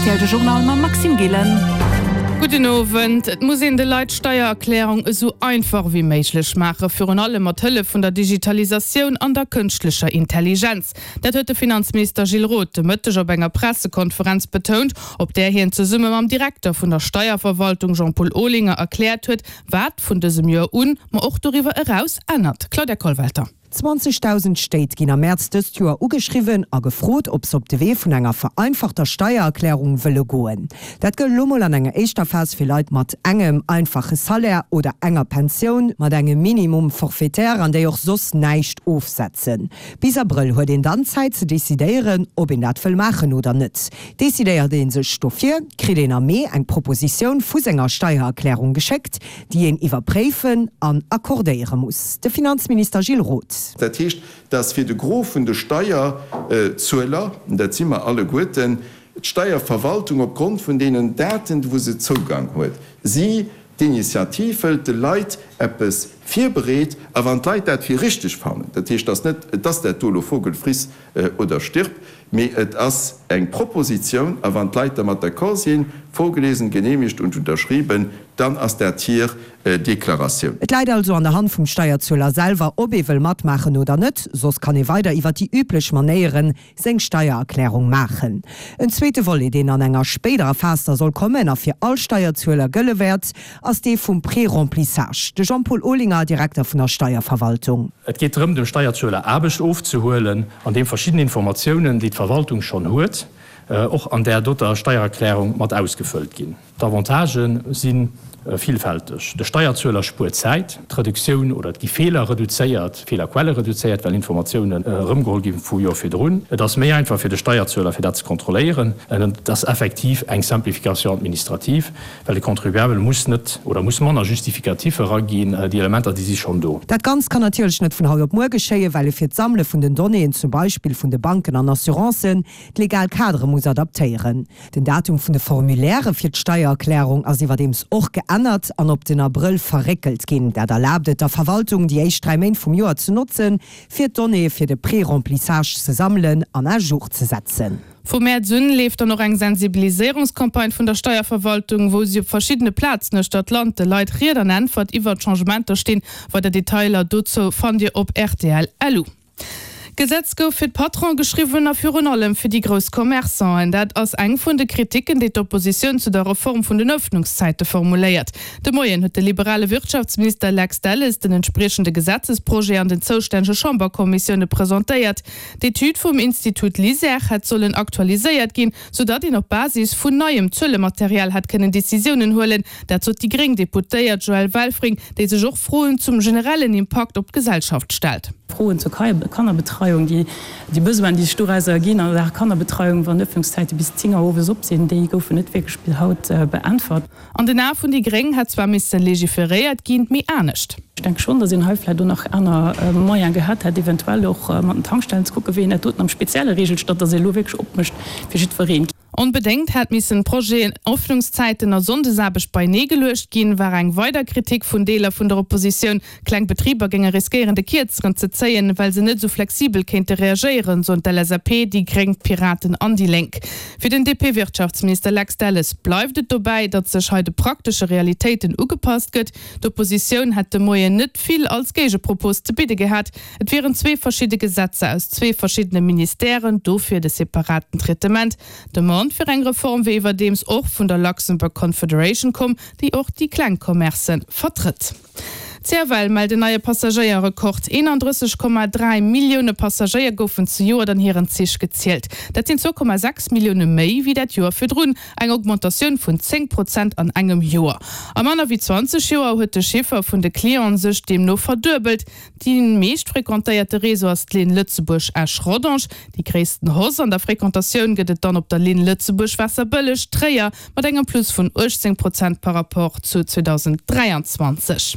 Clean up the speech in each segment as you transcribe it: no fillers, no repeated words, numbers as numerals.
rtl, de Journal mam Maxime Gillen. Gudden Owend. Et muss een de Leit d'Steiererklärung esou einfach ewéi méiglech maachen, virun allem mat Hëllef vun der Digitalisatioun an der kënschtlecher Intelligenz. Dat huet de Finanzminister Gilles Roth de Mëtteg op enger Pressekonferenz betount, op där hien zesumme mam Direkter vun der Steierverwaltung Jean-Paul Olinger erkläert huet, wat vun dësem Joer un, ma och doriwwer eraus ännert. Claudia Kollwelter. 20.000 Stéit ginn am Mäerz dëst Joer ugeschriwwen a gefrot, ob se op de Wee vun enger vereinfachter Steiererklärung wëlle goen. Dat gëllt elo mol an enger éischter Phas fir Leit mat engem einfache Salaire oder enger Pensioun mat engem Minimum forfaitaire an déi och soss näischt ofsetzen. Bis Abrëll huet een dann Zäit ze decidéieren, ob een dat wëll maachen oder net. Decidéiert ee sech dofir, kritt een am Mee eng Propositioun vu senger Steiererklärung geschéckt, déi een iwwerpréifen an accordéiere muss. De Finanzminister Gilles Roth. Dat heescht, dass fir de Gros vun de Steierzueler, dat si mer alleguerten, d'Steierverwaltung op Grond vun deenen Daten, wou se Zougang huet, si d'Initiativ hëlt, de Leit eppes virbereet, a wann d'Leit dat fir richteg fannen, dat heescht, dass net, et ass dat do elo Vogel friss oder stirb, mee et ass eng Propositioun, a wann d'Leit dermat d'accord sinn, vorgelesen, genehmigt und unterschrieben, dann ass dat hir Deklaratioun. Et läit also an der Hand vum Steierzueler selwer, ob ee wëll matmaachen oder net, soss kann ee weider iwwer déi üblech Manéieren seng Steiererklärung maachen. En zweete Volet, deen an enger spéiderer Phas da soll kommen a fir all Steierzueler gëlle wäert, ass dee vum Préremplissage. De Jean-Paul Olinger, Direkter vun der Steierverwaltung. Et geet drëm, dem Steierzueler Aarbecht ofzehuelen, an deem verschidden Informatiounen, déi d'Verwaltung schonn huet, och an där doter Steiererklärung mat ausgefëllt ginn. D'Avantagë si villfälteg, De Steierzueler spuert Zäit, d'Reduktioun oder et gi Feeler reduzéiert, Feelerquelle reduzéiert, well Informatiounen erëmgeholl gi vu Joer virdrun. Et ass méi einfach fir de Steierzueler, fir dat ze kontrolléieren. Et ass effektiv eng Simplification administrative, well de Contribuable muss net oder muss manner Justificatifs eraginn, déi Elementer, déi si schonn do. Dat Ganzt kann natierlech net vun haut op muer geschéien, well ee fir d'Sammele vun den Donnéeën, zum Beispill vun de Banken an Assurancen, d'legal Kadere muss adaptéieren. Den Datum vun de Formulairë fir d'Steiererklärung ass iwwerdeems och geännert an op den Abrëll verréckelt ginn. Dat erlaabt et der Verwaltung, déi éischt 3 Méint vum Joer ze notzen, fir d'Donnéeë fir de Pré-remplissage ze sammelen an à jour ze setzen. Vu Mäerz un leeft dann och eng Sensibiliséierungscampagne vun der Steierverwaltung, wou si op verschiddene Plazen uechter d'Land de Leit Ried an Äntwert iwwert d'Changementer stinn. Weider Detailer dozou fannt Dir op rtl. Lu. D'Gesetz gouf fir d'Patronen geschriwwen a virun allem fir déi grouss Commerçanten. Dat ass eng vun de Kriticken, déi d'Oppositioun zu der Reform vun den Ëffnungszäite formuléiert. De Moien huet de liberale Wirtschaftsminister Lex Delles den entspriechende Gesetzesprojet an den zoustännege Chamberkommissioune presentéiert. D'Etüd vum Institut LISER hätt sollen aktualiséiert ginn, soudatt een op Basis vun neiem Zuelematerial hätt kënnen Decisiounen huelen. Dat sot déi gréng Deputéiert Joëlle Welfring, déi sech och Froen zum generellen Impakt op d'Gesellschaft stellt. Froen zur Kannerbetreiung, déi Besoinen, déi sech dorauser erginn an der Kannerbetreiung, wann d'Ëffnungszäite bis 10 Auer owes op sinn, déi goufen net wierklech bis haut beäntwert. An den Ae vun déi gréng hätt zwar misse legiferéiert ginn, mee anescht. Ech denke schonn, datt een hei vläicht och nach aner Moyene gehat hätt, eventuell och mat den Tankstellen ze kucken, wéi een dat doten am Spezielle reegelt, statt datt ee elo wierklech opmécht fir jiddwereen. Onbedéngt hätt missen d'Projeten Öffnungszäiten a Sonndesaarbecht beienee geluecht ginn, war eng weider Kritik vun Deeler vun der Oppositioun. Kleng Betriber géinge riskéieren de Kierzeren ze zéien, well se net esou flexibel kéinte reagéieren, soen d'LSAP, déi Gréng, d'Piraten an déi Lénk. Fir den DP-Wirtschaftsminister Lex Delles bleift et dobäi, datt sech hei de praktesche Realitéiten ugepasst gëtt. D'Oppositioun hätt de Moien net vill als Géigepropos ze bidde gehat. Et wieren zwee verschidde Gesetzer aus zwee verschiddene Ministèren, dofir de separaten Traitement. D'Demande fir eng Reform wier iwwerdeems och vun der Luxembourg Confederation komm, déi och déi kleng Commercë vertrëtt. D'CFL mellt en neie Passagéierrekord, 31,3 Millioune Passagéier goufen zejoert an hiren Zich gezielt. Dat sinn 2,6 Millioune méi wéi dat Joer virdrun, eng Augmentatioun vun 10 Prozent an engem Joer. A manner wéi 20 Joer huet de Chiffer vun de Clienten sech deemno verduebelt. Déi meescht frequentéierte Réseau ass d'Linn Lëtzebuerg-Esch-Rodange. Déi gréissten Hausse an der Frequentatioun gëtt et dann op der Linn Lëtzebuerg-Waasserbëlleg, Tréier mat engem Plus vun 18 Prozent par Rapport zu 2023.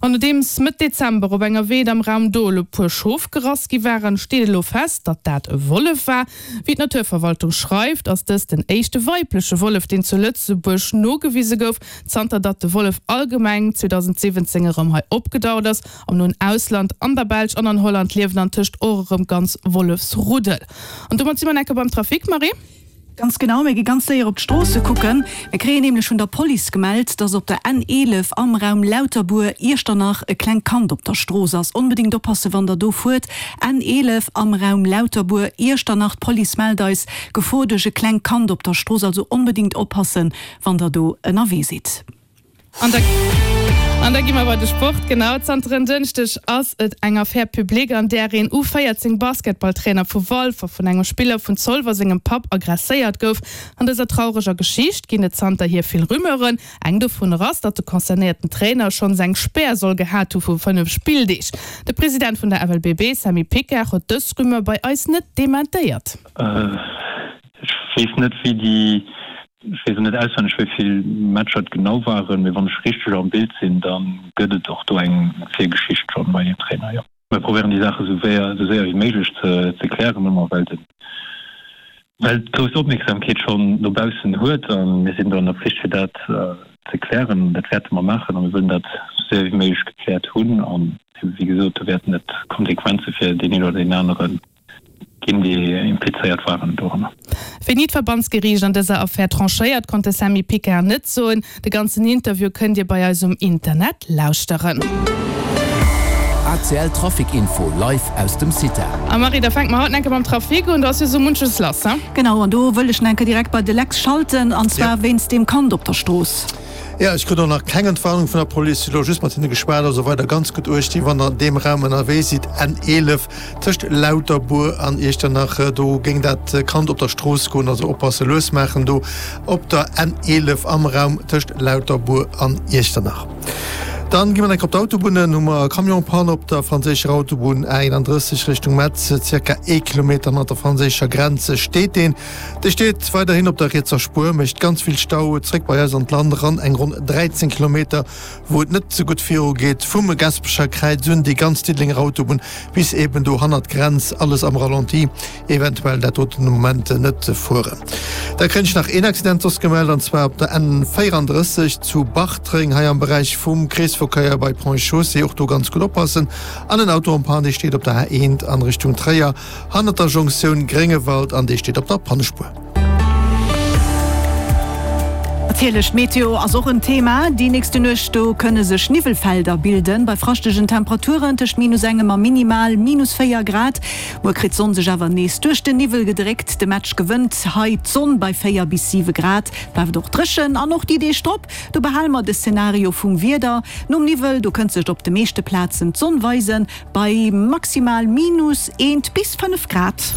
An nodeems Mëtt Dezember op enger Weed am Raum Dol e puer Schof gerass gi waren, steet elo fest, datt dat e Wollef war. Wéi d'Naturverwaltung schreift, ass dëst den éischte weibleche Wollef, deen zu Lëtzebuerg nogewise gouf, zanter datt de Wollef allgemeng 2017 erëm hei opgedaucht ass. Am noen Ausland, an der Belsch an an Holland, liewen antëscht och erëm ganz Wollefsruddel. An domat si mer enke beim Trafic, Marie. Ganz genau, mir gi ganz séier op d'Stroosse kucken. Mir kréien nämlech vun der Police gemellt, dass op der N 11 am Raum Lauterbuer, Iechternach e klengt Kand op der Strooss ass. Onbedéngt oppasse wann der do fuert. N 11 am Raum Lauterbuer, Iechternach, d'Police mellt eis, Gefor duerch e klengt Kand op der Strooss. Also onbedéngt oppassen wann der do ënnerwee sidd. An da an da gi mer bei de Sport. Genau, zanter en Dënschdeg ass et eng Affaire publique, an där een U 14 Basketballtrainer vu Walfer vun engem Spiller vun Zolwer sengem Papp aggresséiert gouf. An dëser traureger Geschicht ginn et zanterhier vill Rumeuren. Eng dovunner ass, datt de concernéierten Trainer schonns eng Spär soll gehat hu vu 5 Spilldeeg. De President vun der FLBB, Sammy Picard, huet dës Rumeur bei eis net dementéiert. Ech weess net wéi déi, ech weess och net auswenneg wéi vill Matcher et genau waren, mee wann ech richteg am Bild sinn, da gëtt et och do eng Virgeschicht schonn bei deem Trainer, jo. Mir probéieren déi Saache sou wéi sou séier wéi méiglech ze ze klären, ëmmer well den well d'grouss Opmierksamkeet schonn no baussen huet a mir sinn do an der Pflicht fir dat ze klären. Dat wäerte mer maachen a mir wëllen dat sou séier wéi méiglech gekläert hunn an wéi gesot, do wäerten et Konsequenze fir deen een oder deen anere ginn, déi implizéiert waren doranner. Wéini d'Verbandsgeriicht an dëser Affär tranchéiert, konnt de Sammy Picard net soen. De ganzen Interview kënnt Dir bei eis um Internet lauschteren. ACL Trafic Info live aus dem CITA. A Marie, da fänke mer haut enke mam Trafic un, do ass jo sou munches lass, he? Genau, an do wëll ech enke direkt bei de Lex schalten, an zwar wéinst deem Kand op der Strooss. Jo, ech krut och nach keng Entwarnung vun der Police, hu lo just mat hinne geschwat. Also weider ganz gutt uecht ginn, wann der an deem Raum ënnerwee sidd, N11 tëscht Lauterbuer an Iechternach, do géing dat Kand op der Strooss goen, also oppasse, lues maachen do op der N11 am Raum tëscht Lauterbuer an Iechternach. Dann gi mer enk op d'Autobunnen, hu mer e Camion-Panne op der franséischer Autobunn A31 Richtung Metz, zirka ee Kilometer hannert der franséischer Grenz steet deen. Dee steet weiderhin op der rietser Spuer, mécht ganz vill Stau. Zréck bei eis an d'Land eran eng ronn 13 Kilometer, wou et net sou gutt viru geet, vum Gaspecher Kräiz un déi ganz Diddelenger Autobunn bis eben do hannert d'Grenz, alles am Ralenti, eventuell dat doten de Moment net fueren. Da kréien ech nach een Accident soss gemellt, an zwar op der N 34 zu Bartreng, hei am Beräich vum Kreesverkéier bei Ponts et Chaussées, och do ganz gutt oppassen. An en Auto en panne, dee steet op der A1 an Richtung Tréier, Hannert der Jonktioun Gréngewald an dee steet op der Pannespuer. Natierlech, d'Meteo ass och en Thema. Déi nächste Nuecht do kënne sech Niwwelfelder bilden, bei fraschtegen Temperaturen tëscht minus engem a minimal minus 4 Grad. Muer kritt d'Sonn sech awer nees duerch den Niwwel gedréckt. De Match gewënnt hei d'Sonn bei 4 bis 7 Grad. Bleift och dréchen an och déi Deeg drop, do behale mer de Szenario vum Wieder. Nom Niwwel, do kënnt sech op de meeschte Plazen d'Sonn weisen, Bei maximal minus eent bis 5 Grad.